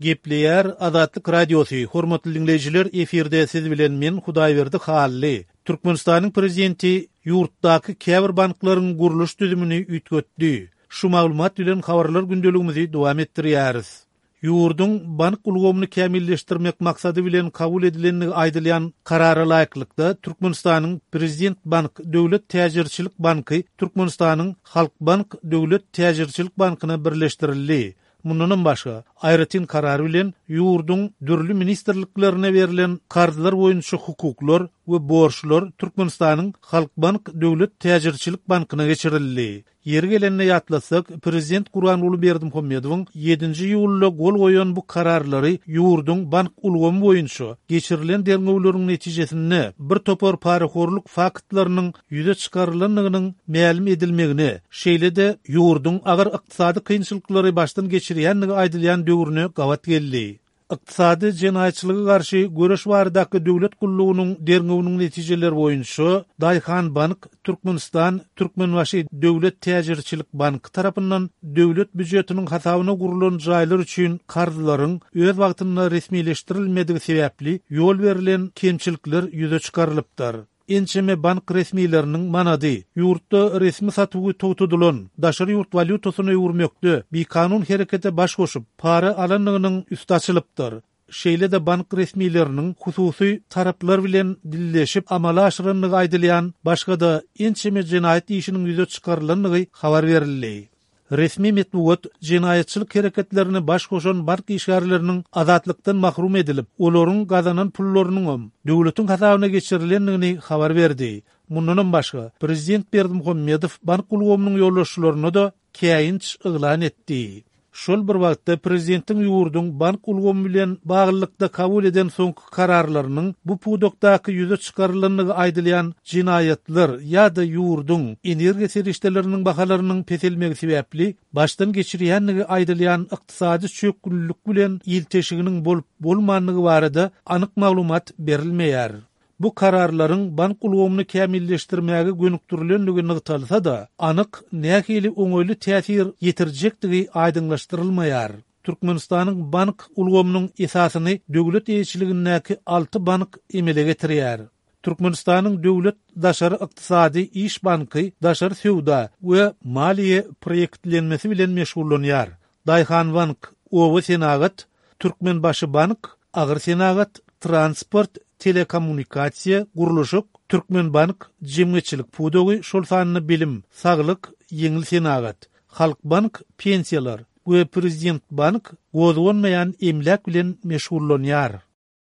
Gepleýär Azatlyk Radiosy, Hormatly diňleýjiler, efirde siz bilen men Hudaýberdi Hally. Türkmenistanyň Prezidenti ýurtdaky käbir banklaryň gurluş düzümini üýtgetdi. Şu maglumat bilen habarlar gündeligimizi dowam etdirýäris. Ýurduň bank ulgamyny kämilleşdirmek maksady bilen kabul edilendigi aýdylýan Karara laýyklykda, Türkmenistanyň Prezident bank döwlet täjirçilik banky Türkmenistanyň Halkbank döwlet täjirçilik bankyna birleşdirildi. Mundanam başga, aýratyn karar bilen ýurduň dürli ministrliklerine berlen karzlar boýunça hukuklar we borçlar Türkmenistanyň Halkbank döwlet täjirçilik bankyna geçirildi. Ýeri gelende ýatlatsak, prezident Gurbanguly Berdimuhamedowyň ýedinji iýulda gol goýan bu kararlary ýurduň bank ulgamy boýunça geçirilen derňewleriň netijesinde bir topar parahorluk faktlarynyň ýüze çykarylandygynyň mälim edilmegine, şeýle-de ýurduň agyr ykdysady kynçylyklary başdan geçirýändigi aýdylýan döwrüne gabat geldi. Ykdysady jenaýatçylyga garşy göreş baradaky döwlet gullugynyň derňewiniň netijeleri boýunça Daýhanbank, Türkmenistan, Türkmenbaşy döwlet täjirçilik banky tarapyndan döwlet býujetiniň hasabyna gurlan jaýlar üçin karzlaryň öz wagtynda resmileşdirilmedigi sebäpli ýol berlen kemçilikler ýüze çykarylypdyr. Ençeme bank resmileriniň manady ýurtda resmi satuwy togtadylan daşary ýurt walýutasyna öwürmekde bikanun herekete baş goşup, para alandygynyň üsti açylypdyr. Şeýle-de bank resmileriniň hususy taraplar bilen dilleşip amala aşyrandygy aýdylýan başga-da ençeme jenaýat işiniň ýüze çykarylandygy habar berildi. Resmi metbugat jenaýatçylyk hereketlerine baş goşan bank işgärleriniň azatlykdan mahrum edilip, olaryň gazanan pullarynyňam döwletiň hasabyna geçirilendigini habar berdi. Mundanam başga, prezident Berdimuhamedow bank ulgamynyň ýolbaşçylaryna-da käýinç yglan etdi. Şol bir wagtda, prezidentiň ýurduň bank ulgamy bilen baglylykda kabul eden soňky kararlarynyň bu pudakdaky ýüze çykarylandygy aýdylýan jenaýatlar ýa-da ýurduň energiýa serişdeleriniň bahalarynyň peselmegi sebäpli başdan geçirýändigi aýdylýan ykdysady çökgünlilik bilen ilteşiginiň bolup-bolmandygy barada anyk maglumat berilmeýär. Bu kararlaryň bank ulgamyny kämilleşdirmäge gönükdirilendigi nygtalsa-da, anyk nähili oňaýly täsir ýetirjekdigi aýdyňlaşdyrylmaýar. Türkmenistanyň bank ulgamynyň esasyny döwlet eýeçiligindäki alty bank emele getirýär. Türkmenistanyň Döwlet daşary ykdysady iş banky daşary söwda we maliýe proýektlenmesi bilen meşgullanýar. Daýhanbank, oba senagat, Türkmenbaşybank, agyr senagat, transport, telekommunikasiýa, gurluşyk, Türkmenbank, jemgyýetçilik pudagy, şol sanda bilim, saglyk, ýeňil senagat, Halkbank, pensiýalar we Prezidentbank gozganmaýan emläk bilen meşgullanýar.